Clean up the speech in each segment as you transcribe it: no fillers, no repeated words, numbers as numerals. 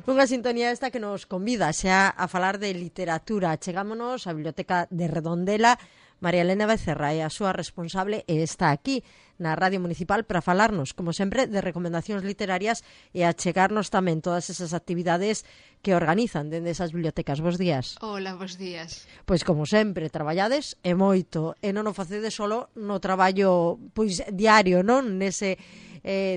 Unha sintonía esta que nos convida xa a falar de literatura. Chegámonos á Biblioteca de Redondela. María Elena Becerra é a súa responsable e está aquí na Radio Municipal para falarnos, como sempre, de recomendacións literarias e a chegarnos tamén todas esas actividades que organizan dende esas bibliotecas. Bos días. Hola, bos días. Pois, como sempre, traballades e moito, e non o facedes solo no traballo pois diario, non? Nese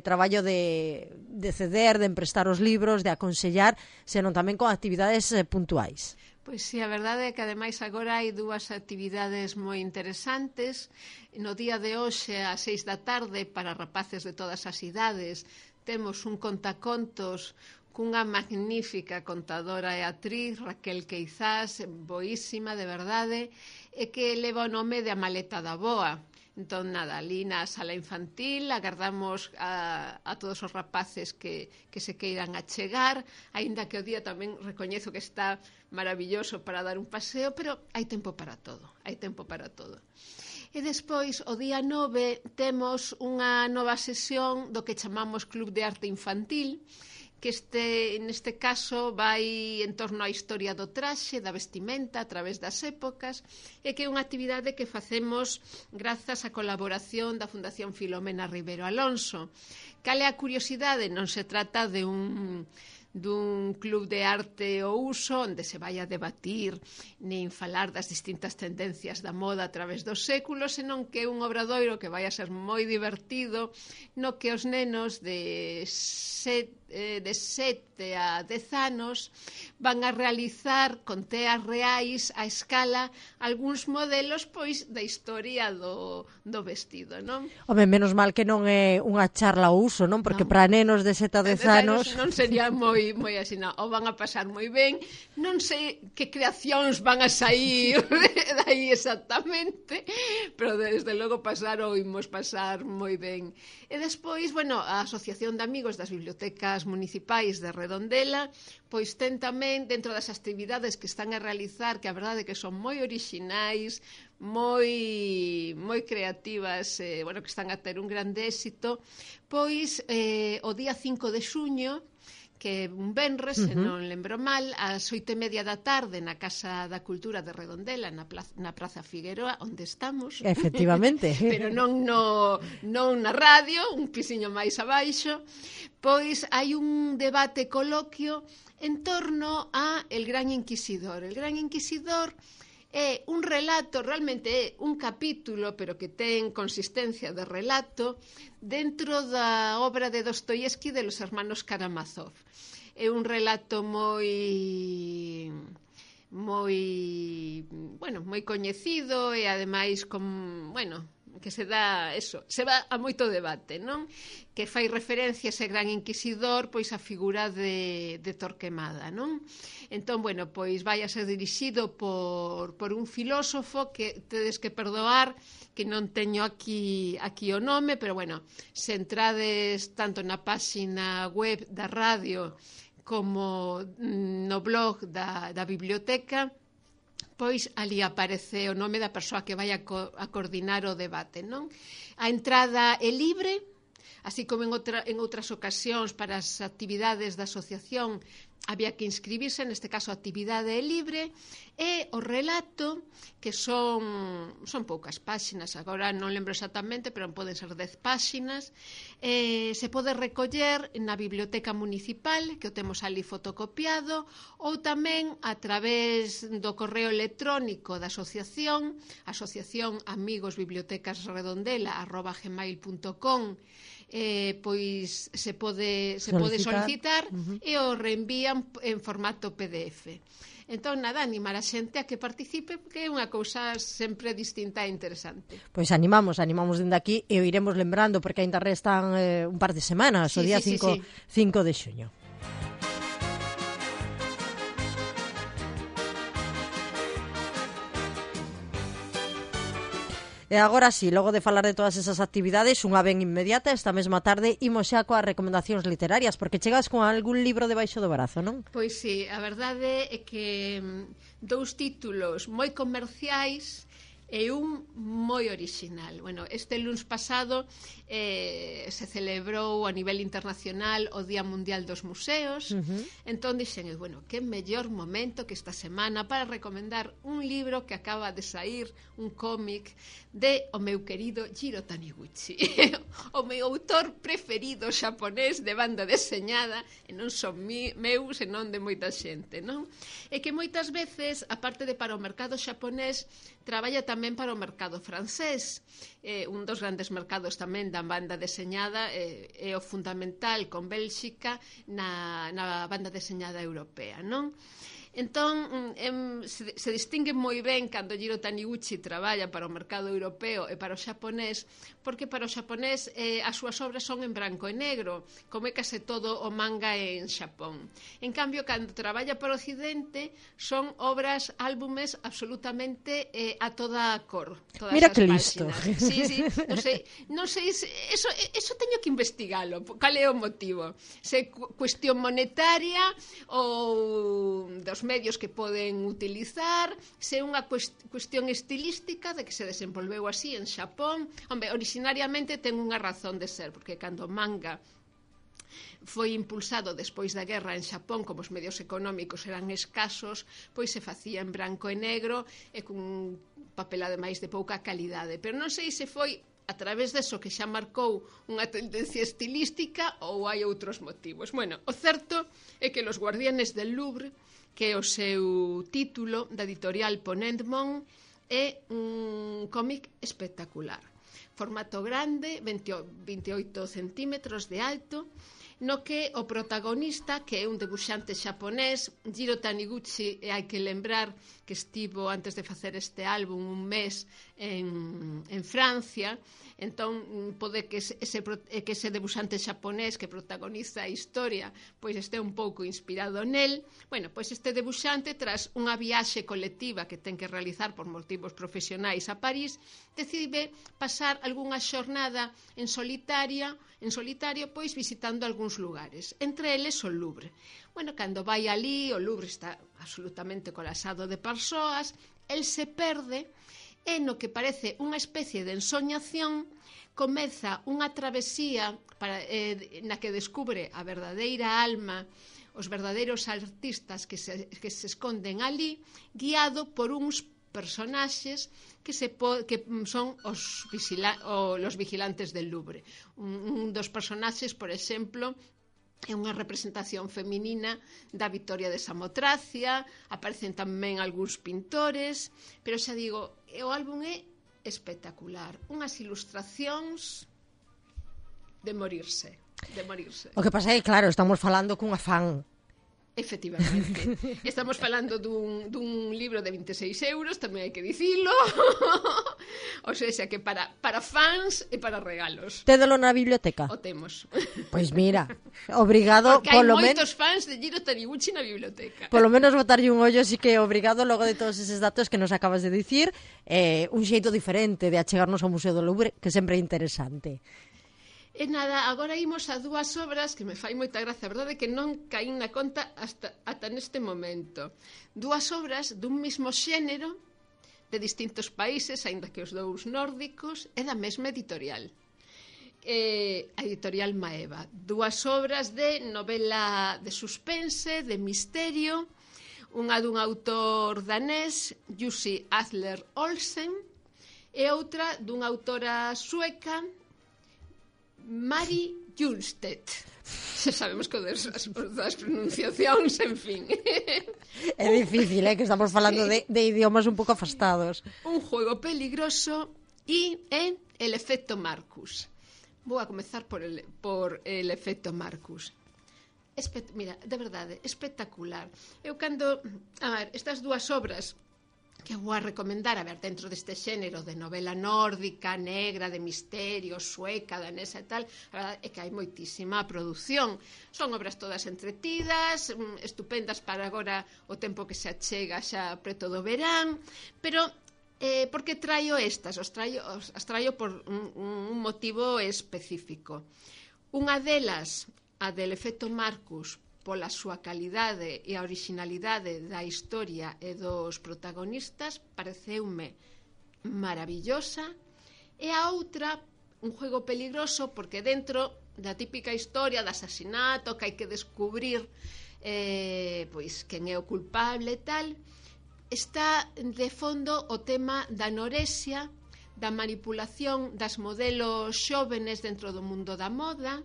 traballo de ceder, de emprestar os libros, de aconsellar, senón tamén con actividades puntuais. Pois sí, a verdade é que ademais agora hai dúas actividades moi interesantes. No día de hoxe, ás 6 da tarde, para rapaces de todas as idades, temos un contacontos cunha magnífica contadora e actriz, Raquel Queizás, boísima, de verdade, e que leva o nome de A maleta da boa. Entón, nada, ali na sala infantil agardamos a todos os rapaces que se queiran achegar, aínda que o día tamén recoñezo que está maravilloso para dar un paseo, pero hai tempo para todo, hai tempo para todo. E despois, o día 9, temos unha nova sesión do que chamamos Club de Arte Infantil, que neste caso vai en torno á historia do traxe, da vestimenta a través das épocas, e que é unha actividade que facemos grazas á colaboración da Fundación Filomena Ribeiro Alonso. Cal é a curiosidade? Non se trata dun club de arte ou uso onde se vai a debatir nin falar das distintas tendencias da moda a través dos séculos, senón que é un obradoiro que vai a ser moi divertido, no que os nenos de 7 a 10 anos van a realizar con teas reais a escala algúns modelos pois da historia do vestido, non? Home, menos mal que non é unha charla ao uso, non? Porque para nenos de 7 a 10 anos non sería moi así, non. O van a pasar moi ben, non sei que creacións van a sair dai exactamente, pero desde logo imos pasar moi ben. E despois, bueno, a Asociación de Amigos das Bibliotecas Municipais de Redondela, pois ten tamén, dentro das actividades que están a realizar, que a verdade é que son moi orixinais, moi creativas, bueno, que están a ter un grande éxito, pois o día 5 de xuño, que un venres, se non lembro mal, ás 8:30 da tarde na Casa da Cultura de Redondela, na Praza Figueroa, onde estamos. Efectivamente. Pero non na radio, un pisiño máis abaixo, pois hai un debate coloquio en torno a El Gran Inquisidor. El Gran Inquisidor é un relato, realmente é un capítulo, pero que ten consistencia de relato, dentro da obra de Dostoievski de los hermanos Karamazov. É un relato moi coñecido e ademais que se dá se va a moito debate, non? Que fai referencia a ese gran inquisidor, pois a figura de Torquemada, non? Entón, bueno, pois vai a ser dirixido por un filósofo que tedes que perdoar que non teño aquí o nome, pero bueno, se entrades tanto na páxina web da radio como no blog da biblioteca, pois ali aparece o nome da persoa que vai a coordinar o debate, non? A entrada é libre, así como en outras ocasións para as actividades da asociación había que inscribirse, neste caso a actividade é libre, e o relato, que son poucas páxinas, agora non lembro exactamente, pero poden ser 10 páxinas, se pode recoller na biblioteca municipal, que o temos ali fotocopiado, ou tamén a través do correo electrónico da asociación amigosbibliotecasredondela@gmail.com, pois se pode solicitar e o reenvían en formato PDF. Entón, nada, animar a xente a que participe, porque é unha cousa sempre distinta e interesante. Pois animamos dende aquí e o iremos lembrando, porque ainda restan un par de semanas, o día 5 de xuño. E agora sí, logo de falar de todas esas actividades, unha ben inmediata, esta mesma tarde, imos xa coas recomendacións literarias, porque chegas con algún libro debaixo do brazo, non? Pois sí, a verdade é que dous títulos moi comerciais e un moi orixinal. Bueno, este luns pasado se celebrou a nivel internacional o Día Mundial dos Museos. Entón dixen, bueno, que mellor momento que esta semana para recomendar un libro que acaba de sair, un cómic de o meu querido Jiro Taniguchi, o meu autor preferido xaponés de banda deseñada, e non son meu, senón de moita xente, non? E que moitas veces, aparte de para o mercado xaponés, traballa tamén para o mercado francés. Un dos grandes mercados tamén da banda deseñada é o fundamental con Bélxica na banda deseñada europea, non? Entón, se distingue moi ben cando Jiro Taniguchi traballa para o mercado europeo e para o xaponés, porque para o xaponés as súas obras son en branco e negro, como é case todo o manga en Xapón. En cambio, cando traballa para o Occidente, son obras, álbumes absolutamente a toda cor. Mira que listo. Sí, non sei, eso teño que investigalo, cal é o motivo. Se cuestión monetaria ou dos medios que poden utilizar, se unha cuestión estilística de que se desenvolveu así en Xapón. Hombre, originariamente ten unha razón de ser, porque cando o manga foi impulsado despois da guerra en Xapón, como os medios económicos eran escasos, pois se facía en branco e negro e cun papel ademais de pouca calidade. Pero non sei se foi a través deso que xa marcou unha tendencia estilística ou hai outros motivos. Bueno, o certo é que Los Guardianes del Louvre, que é o seu título da editorial Ponentmon, é un cómic espectacular. Formato grande, 28 centímetros de alto, no que o protagonista, que é un debuxante xaponés, Jiro Taniguchi, e hai que lembrar que estivo antes de facer este álbum un mes en Francia. Entón pode que ese debuxante xaponés que protagoniza a historia pois este un pouco inspirado nel. Bueno, pois este debuxante, tras unha viaxe colectiva que ten que realizar por motivos profesionais a París, decide pasar algunha xornada en solitario, pois visitando algúns lugares, entre eles o Louvre. Bueno, cando vai ali, o Louvre está absolutamente colapsado de persoas, el se perde, e no que parece unha especie de ensoñación comeza unha travesía na que descubre a verdadeira alma, os verdadeiros artistas que se esconden ali, guiado por uns personaxes que son os vigilantes del Louvre. Un dos personaxes, por exemplo, é unha representación feminina da Vitoria de Samotracia, aparecen tamén algúns pintores, pero xa digo, o álbum é espectacular, unhas ilustracións de morirse. O que pasa é que, claro, estamos falando cunha fan. Efectivamente. Estamos falando dun libro de 26 euros, tamén hai que dicilo. O sea, que para fans e para regalos. Tédelo na biblioteca? O temos. Pois mira, obrigado. Porque hai moitos fans de Jiro Taniguchi na biblioteca. Polo menos botarlle un ollo, así que obrigado logo de todos eses datos que nos acabas de dicir. Un xeito diferente de achegarnos ao Museo do Louvre, que sempre é interesante. E nada, agora imos a dúas obras que me fai moita gracia, a verdade é que non caín na conta ata neste momento. Dúas obras dun mismo xénero, de distintos países, aínda que os dous nórdicos, e da mesma editorial. A editorial Maeva. Dúas obras de novela de suspense, de misterio, unha dun autor danés, Jussi Adler Olsen, e outra dunha autora sueca, Mari Junstedt. Xa sabemos que das pronunciacións, en fin. É difícil, que estamos falando de idiomas un pouco afastados. Un juego peligroso e el efecto Marcus. Vou a comezar por el efecto Marcus. Mira, de verdade, espectacular. Eu cando... A ver, estas dúas obras que vou a recomendar, a ver, dentro deste xénero de novela nórdica, negra, de misterio, sueca, danesa e tal, a verdade é que hai moitísima produción. Son obras todas entretidas, estupendas para agora o tempo que se achega xa preto do verán, pero por que traio estas? As traio por un motivo específico. Unha delas, a del efecto Marcus, pola súa calidade e a originalidade da historia e dos protagonistas, pareceume maravillosa, e a outra un juego peligroso, porque dentro da típica historia de asasinato que hai que descubrir pois quen é o culpable e tal, está de fondo o tema da anorexia, da manipulación das modelos xóvenes dentro do mundo da moda,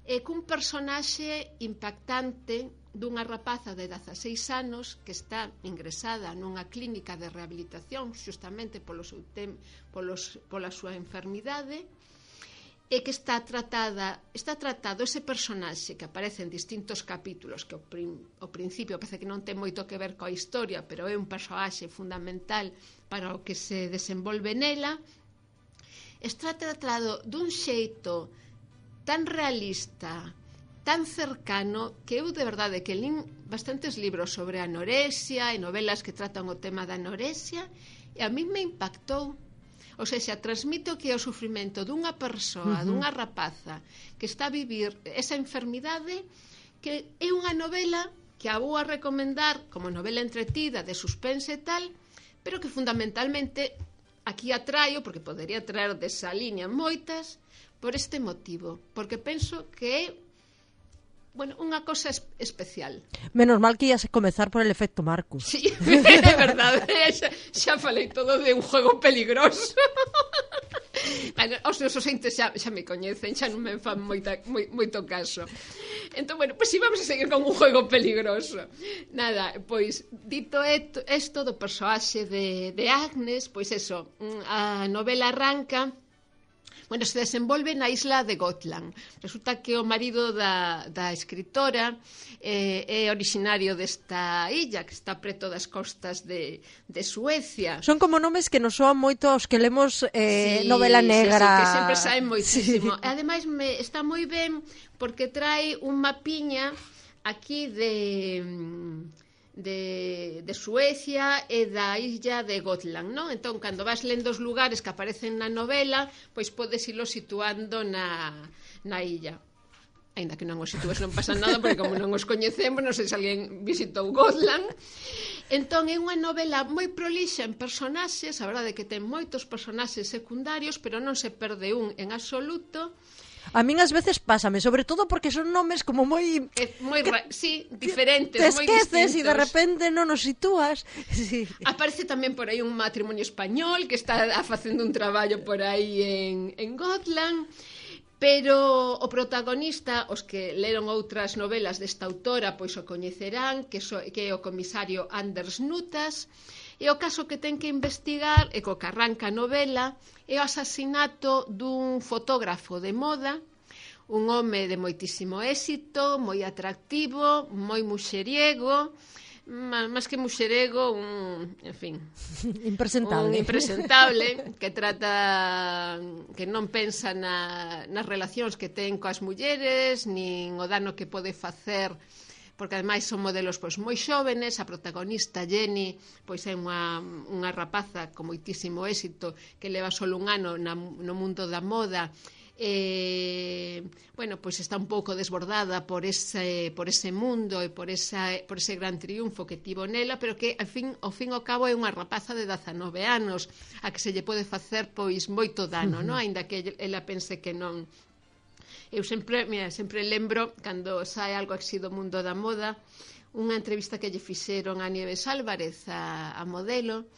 e cun personaxe impactante dunha rapaza de 16 anos que está ingresada nunha clínica de rehabilitación justamente pola súa enfermidade, e que está tratado ese personaxe que aparece en distintos capítulos, que ao principio parece que non ten moito que ver coa historia, pero é un personaxe fundamental para o que se desenvolve nela. Está tratado dun xeito tan realista, tan cercano, que eu de verdade que lín bastantes libros sobre anorexia e novelas que tratan o tema da anorexia, e a mí me impactou. O sea, transmite o que é o sufrimento dunha persoa, dunha rapaza que está a vivir esa enfermidade, que é unha novela que a vou a recomendar como novela entretida, de suspense e tal, pero que fundamentalmente aquí a traio, porque podería traer desa línea moitas, por este motivo, porque penso que é unha cosa especial. Menos mal que ias a comezar por el efecto Marcus. Sí, é verdade, xa falei todo de un juego peligroso. Bueno, os nosos entes xa me coñecen, xa non me fan moito caso. Entón, pois vamos a seguir con un juego peligroso. Nada, pois, dito isto do persoaxe de Agnes, pois eso, a novela arranca. Se desenvolve na isla de Gotland. Resulta que o marido da escritora é originario desta illa, que está preto das costas de Suecia. Son como nomes que nos soan moito aos que lemos novela negra. Sí, que sempre saen moitísimo. Sí. Ademais, está moi ben porque trae un mapiña aquí de Suecia e da illa de Gotland, non? Entón, cando vas lendo os lugares que aparecen na novela, pois podes ilo situando na illa. Ainda que non os sitúes non pasa nada, porque como non os coñecemos, non sei se alguén visitou Gotland. Entón, é unha novela moi prolixa en personaxes, a verdade é que ten moitos personaxes secundarios, pero non se perde un en absoluto. A min ás veces pásame, sobre todo porque son nomes como moi... sí, diferentes, moi distintos. Te esqueces e de repente non os sitúas. Sí. Aparece tamén por aí un matrimonio español que está facendo un traballo por aí en Gotland, pero o protagonista, os que leron outras novelas desta autora, pois o coñecerán, que é o comisario Anders Nutas. E o caso que ten que investigar, e co que arranca a novela, é o asasinato dun fotógrafo de moda, un home de moitísimo éxito, moi atractivo, moi muxeriego, máis que muxeriego, en fin, impresentable. Un impresentable que trata, que non pensa nas relacións que ten coas mulleres, nin o dano que pode facer, porque ademais son modelos pois moi xóvenes. A protagonista Jenny pois é unha rapaza con moitísimo éxito que leva só un ano no mundo da moda, pois está un pouco desbordada por ese mundo e por ese gran triunfo que tivo nela, pero que ao fin ao cabo é unha rapaza de 19 anos a que se lle pode facer pois moito dano, non? Aínda que ela pense que non. Eu sempre lembro, cando sae algo así do mundo da moda, unha entrevista que lle fixeron a Nieves Álvarez, a modelo,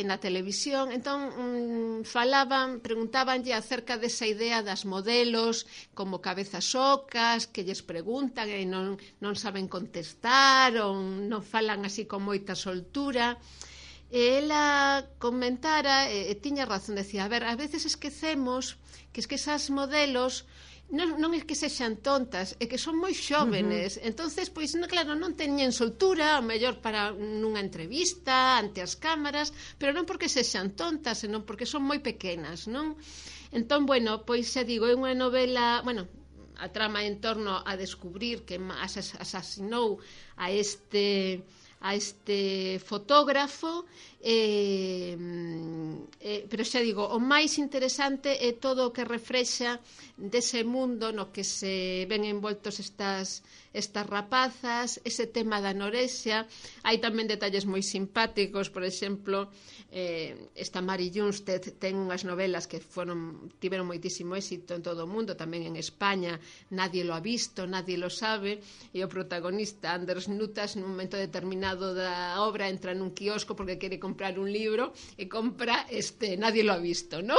na televisión. Entón, preguntábanlle acerca desa idea das modelos como cabezas ocas, que lles preguntan e non saben contestar, ou non falan así con moita soltura. E ela comentara, e tiña razón, decía, a veces esquecemos que esas modelos non é que sexan tontas, é que son moi xóvenes. Entonces, pois, claro, non teñen soltura, ao mellor para nunha entrevista, ante as cámaras, pero non porque sexan tontas, senón porque son moi pequenas, non? Entón, pois xa digo, é unha novela, a trama en torno a descubrir que asasinou a fotógrafo, pero xa digo, o máis interesante é todo o que reflexa dese mundo no que se ven envoltos estas rapazas, ese tema da anorexia. Hai tamén detalles moi simpáticos, por exemplo, esta Mary Junstead ten unhas novelas que tiveron moitísimo éxito en todo o mundo, tamén en España, Nadie lo ha visto, nadie lo sabe, e o protagonista Anders Nutas nun momento determinado da obra entra nun quiosco porque quere comprar un libro e compra Nadie lo ha visto, ¿no?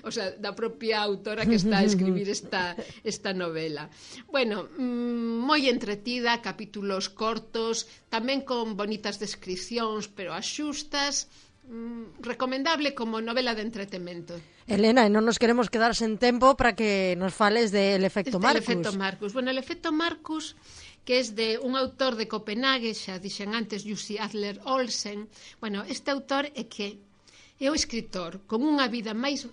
O sea, da propia autora que está a escribir esta novela. Bueno, moi entretida, capítulos cortos, tamén con bonitas descripcións, pero as xustas, recomendable como novela de entretemento. Elena, e non nos queremos quedar sen tempo para que nos fales del efecto Marcus. El efecto Marcus. Bueno, el efecto Marcus, que es de un autor de Copenhague, xa dixen antes, Jussi Adler Olsen. Bueno, este autor é o escritor con unha vida máis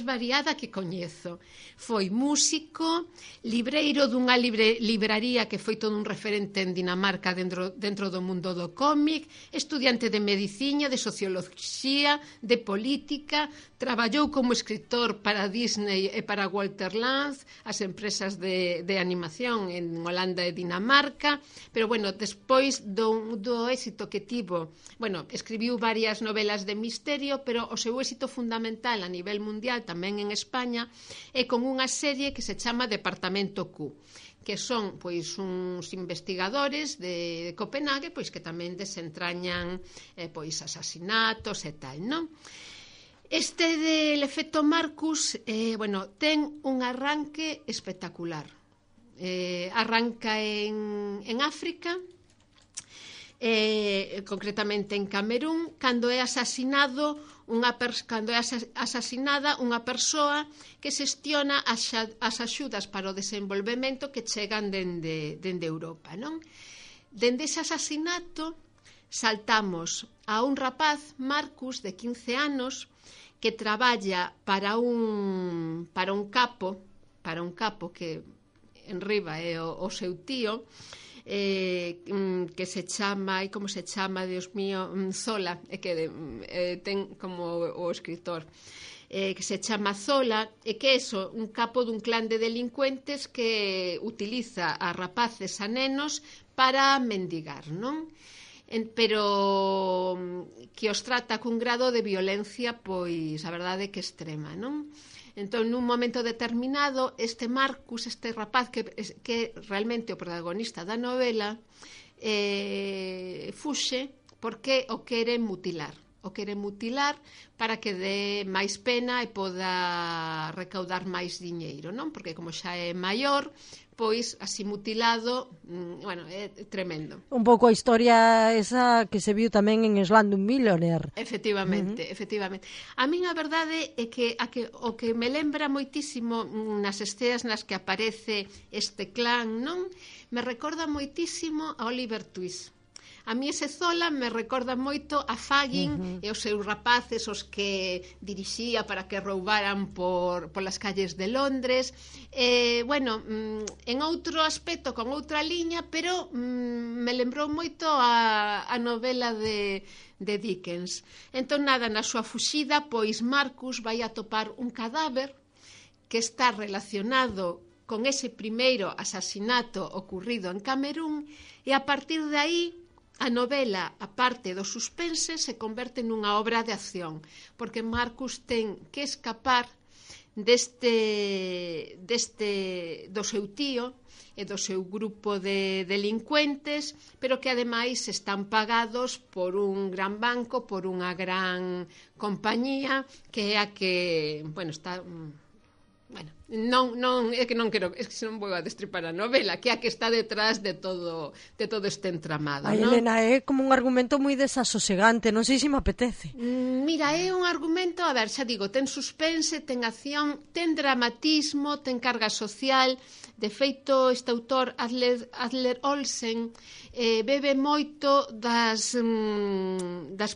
variada que coñezo. Foi músico, libreiro dunha libraría que foi todo un referente en Dinamarca dentro do mundo do cómic, estudiante de medicina, de socioloxía, de política, traballou como escritor para Disney e para Walter Lanz, as empresas de animación en Holanda e Dinamarca, pero bueno, despois do éxito que tivo, bueno, escribiu varias novelas de misterio, pero o seu éxito fundamental a nivel mundial, tamén en España, é con unha serie que se chama Departamento Q, que son pois uns investigadores de Copenhague, pois que tamén desentrañan pois asasinatos e tal, non? Este del efecto Marcus, bueno, ten un arranque espectacular. Arranca en África, concretamente en Camerún, cando é asasinada unha persoa que xestiona as axudas para o desenvolvemento que chegan dende Europa, non? Dende ese asasinato saltamos a un rapaz, Marcus, de 15 anos, que traballa para un capo que en riba é o seu tío, que se chama, e como se chama, Dios mío, Zola, que ten como o escritor, que se chama Zola, e que é un capo dun clan de delincuentes que utiliza a rapaces, a nenos, para mendigar, non? Pero que os trata cun grado de violencia, pois, a verdade, que extrema, non? Entón, nun momento determinado, este Marcus, este rapaz que realmente o protagonista da novela, fuxe porque o quere mutilar. O quere mutilar para que dé máis pena e poda recaudar máis diñeiro, non? Porque como xa é maior, pois así mutilado, bueno, é tremendo. Un pouco a historia esa que se viu tamén en Slumdog Millionaire. Efectivamente, efectivamente. A min a verdade é que o que me lembra moitísimo nas escenas nas que aparece este clan, non? Me recorda moitísimo a Oliver Twist. A mí ese Zola me recorda moito a Fagin e os seus rapaces, os que dirixía para que roubaran polas calles de Londres. Bueno, en outro aspecto, con outra liña, pero me lembrou moito a novela de Dickens. Entón, nada, na súa fuxida, pois Marcus vai atopar un cadáver que está relacionado con ese primeiro asasinato ocurrido en Camerún, e a partir de aí a novela, a parte do suspense, se converte nunha obra de acción, porque Marcus ten que escapar do seu tío e do seu grupo de delincuentes, pero que ademais están pagados por un gran banco, por unha gran compañía, que é a que, bueno, está... Bueno, non é que non quero, é que non vou a destripar a novela, que é a que está detrás de todo este entramado. Ai, non? Elena, é como un argumento moi desasosegante, non sei se me apetece. Mira, é un argumento, a ver, xa digo, ten suspense, ten acción, ten dramatismo, ten carga social. De feito, este autor, Adler Olsen, bebe moito das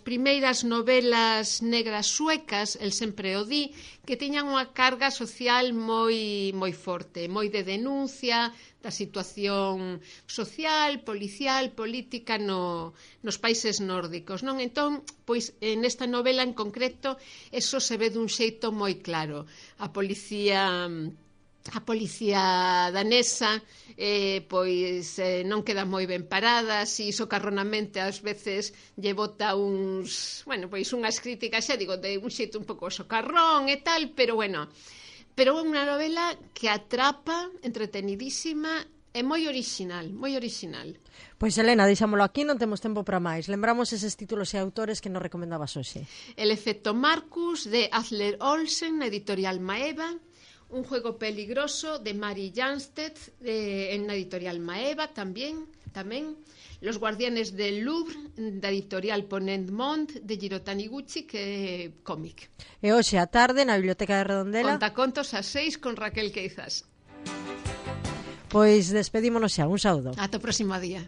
primeiras novelas negras suecas, el sempre o di, que tiñan unha carga social moi moi forte, moi de denuncia da situación social, policial, política nos países nórdicos, non? Entón, pois, nesta novela en concreto, eso se ve dun xeito moi claro. A policía danesa non queda moi ben parada, si socarronamente ás veces lle bota unhas críticas, xa digo, de un xeito un pouco socarrón e tal, pero é unha novela que atrapa, entretenidísima e moi original, moi original. Pois, Elena, deixámolo aquí, non temos tempo para máis. Lembramos eses títulos e autores que nos recomendabas hoxe. El efecto Marcus, de Atle Olsen, na editorial Maeva. Un juego peligroso, de Mari Janstedt, en la editorial Maeva tamén. Los guardianes del Louvre, da editorial Ponent Mont, de Jiro Taniguchi, que é cómic. E hoxe a tarde, na Biblioteca de Redondela, Contacontos a 6 con Raquel Queizas. Pois despedímonos xa, un saúdo. Ata o próximo día.